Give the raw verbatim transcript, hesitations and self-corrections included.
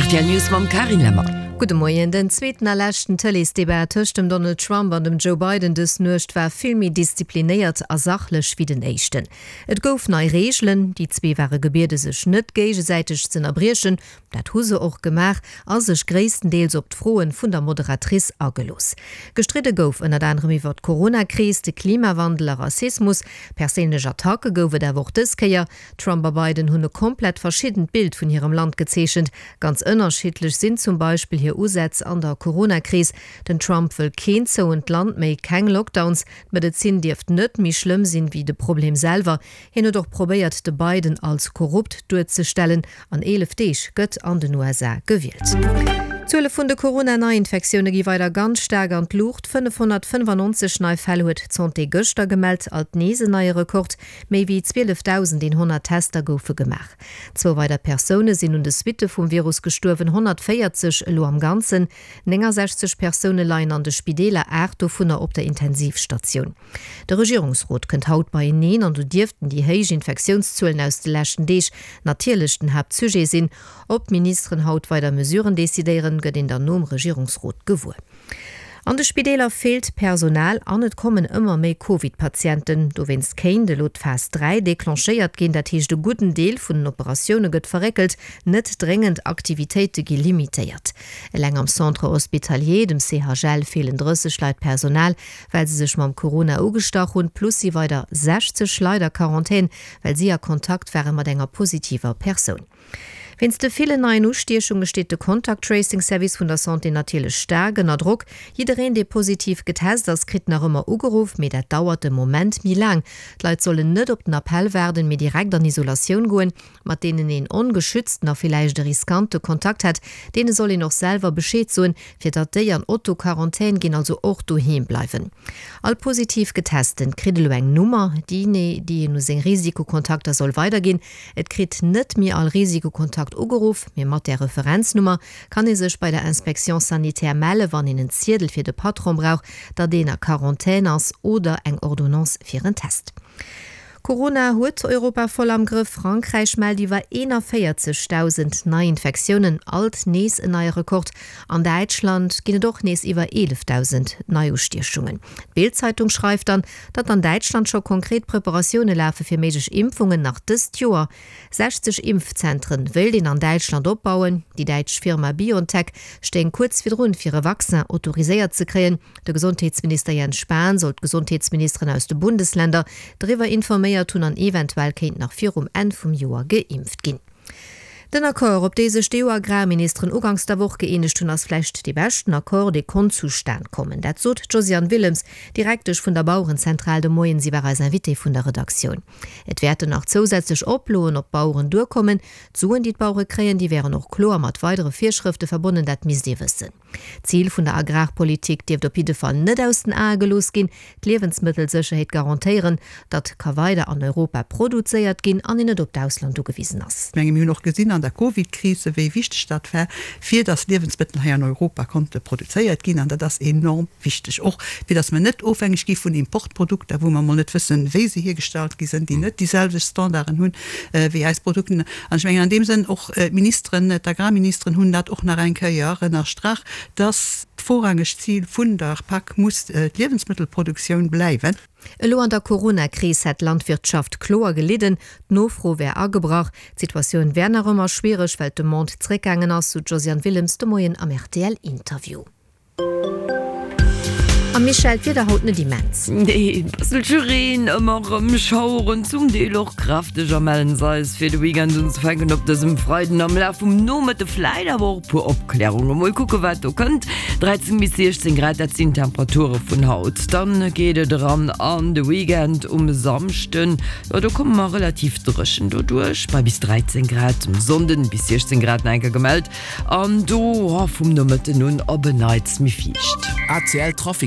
Rtl News mam Carine Lemmer. Gudde Moien. Den zweeten a leschten Tëleesdebat tëscht dem Donald Trump an dem Joe Biden dës Nuecht war vill méi disziplinéiert a sachlech wéi den éischten. Et gouf nei Reegelen, déi zwee ware gebiede sech net géigesäiteg z'ënnerbriechen, dat hu se och gemaach a sech gréisstendeels op d'Froen vun der Moderatrice agelooss. Gestridde gouf ënnert anerem iwwer d'Coronakris, de Klimawandel a Rassismus. Perséinlech Attacke gouf et awer och dës Kéier. Trump a Biden hunn e komplett verschiddent Bild vun hirem Land gezeechent. Ganz ënnerschiddlech sinn zum Beispill hir Usätz an der Coronakris. Den Trump wëll keen zouent Land méi, keng Lockdowns, d'Medezin dierft net méi schlëmm sinn wéi de Problem selwer. Hien huet och probéiert de Biden als korrupt duerzestellen. An eelef Deeg gëtt an den U S A gewielt. D'Zuele vun de Corona-Neiinfektioune gi weider ganz staark an d'Luucht. fënnefhonnertfënnefannonzeg nei Fäll huet d'Santé gëschter gemellt, alt nees en neie Rekord. Méi wéi zwielefdausendeenhonnert Tester goufe gemaach. Zwou weider Persoune sinn un de Suitte vum Virus gestuerwen, honnertvéierzeg elo am Ganzen. Néngasechzeg Persoune leien an de Spideeler, aacht dovunner op der Intensivstatioun. De Regierungsrot kënnt haut beieneen an do dierften déi héich Infektiounszuelen aus de leschten Deeg natierlech den Haaptsujet sinn. Ob d'Ministeren haut weider Mesuren decidéieren, gëtt een dann nom Regierungsrot gewuer. An de Spideeler feelt Personal an et kommen ëmmer méi Covid-Patienten. Dowéinst kéint elo d'Phas dräi declenchéiert ginn. Dat heescht, e gudden Deel vun den Operatioune gëtt verréckelt, net dréngend Aktivitéite gi limitéiert. Eleng am Centre hospitalier, dem C H L, feelen drësseg Leit Personal, well se sech mam Corona ugestach hunn, plus si weider sechzeg Leit a Quarantän, well si a Kontakt ware mat enger positiver Persoun. Wéinst de villen neien Ustiechunge steet de Contact-Tracing-Service vun der Santé natierlech staark ënner Drock. Jiddereen, dee positiv getest ass, kritt nach ëmmer ugeruff, mee dat dauert de Moment méi laang. D'Leit sollen net op den Appell waarden, mee direkt an Isolatioun goen, mat deenen een ongeschützten a villäicht e riskante Kontakt hätt. Deene soll een och selwer Bescheed soen, fir datt déi an Autoquarantän ginn, also och doheem bleiwen. All positiv Getesten kritt elo eng Nummer, déi nee, déi een u seng Risikokontakter soll weiderginn. Et kritt net méi all Risikokontakt ugeruff, mee mat der Referenznummer kann ee sech bei der Inspection sanitaire melle, wann een en Ziedel fir de Patron brauch, datt een a Quarantän ass oder eng Ordonnance fir en Test. Corona huet Europa voll am Grëff. Frankräich mellt iwwer eenanvéierzegdausend Neiinfektiounen, alt nees en neie Rekord. An Däitschland ginn et och nees iwwer eelefdausend Neiustiechungen. D'Bild-Zeitung schreift dann, datt an Däitschland scho konkret Preparatioune lafe fir méiglech Impfungen nach dëst Joer. sechzeg Impfzentren wëllt een an Däitschland opbauen. Déi däitsch Firma BioNTech stéing kuerz virdrun, fir e Vaccin autoriséiert ze kréien. De Gesondheetsminister Jens Spahn soll d'Gesondheetsministeren aus de Bundesländer driwwer informéiert hunn an eventuell kéint nach virum Enn vum Joer geimpft ginn. Den Accord, op dee sech d'E U-Agrarministeren ugangs der Woch gëeenegt hunn, ass vläicht dee beschten Accord, dee konnt zustan kommen. Dat sot d'Josiane Willems, Direktesch vun der Bauerenzentral de Moien. Si war eis Invitée vun der Redaktioun. Et wäerten nach zousätzlech Oploen op d'Baueren duerkommen. D'Suen, déi d'Bauere kréien, déi wären och kloer mat weidere Virschrëfte verbonnen, dat misst ee wëssen. D'Zil vun der Agrarpolitik dierft op jidde Fall net aus den Ae gelooss ginn, d'Liewensmëttelsécherheet garantéieren, datt ka weider an Europa produzéiert ginn an een net op d'Ausland ugewisen ass. Ech menge mir hunn och gesinn an der Covid-Krise, wéi wichteg dat war, fir datt Liewensmëttel hei an Europa konnte produzéiert ginn, an dat ass enorm wichteg, och fir datt mer net ofhängeg gi vun Importprodukter, wou mer mol net wëssen, wéi se hergestallt gi sinn, déi net déi selwecht Standarden hunn, äh, wéi eis Produkten. An ech mengen an deem Sënn och, äh, d'Ministeren, d'Agrarministeren hunn dat och nach eng Kéier ënnerstrach, dass d'vorrangegt Ziel vun der P A C muss, äh, d'Liewensmittelproduktioun bleiwen. Elo an der Corona-Kris hat d'Landwirtschaft kloer gelidden, d'Nofro wär agebrach. D'Situatioun wär nach ëmmer schwiereg, well d'Demande zréckgaangen ass, sou d'Josiane Willems de Moien am R T L-Interview. A Michel, d'Wieder haut net immens. Nee, e bësselche Reen, ëmmer erëm Schaueren, zum Deel och kräfteg a mellen se eis fir de Weekend unzefänken op dësem Freiden am Laf vum Nomëtte vläit awer och e puer Opklärungen. Mol kucke wat do kënnt. dreizéng bis siechzéng Grad, dat sinn Temperature vun haut. Dann geet et eran an de Weekend um Samschden. Jo, do komme mer relativ dréchen doduerch, bei bis dreizéng Grad, um Sonnden bis siechzéng Grad nach eng Kéier gemellt. An do, oh, vum Nomëtten un op en Neits méi fiicht. A C L Trafic.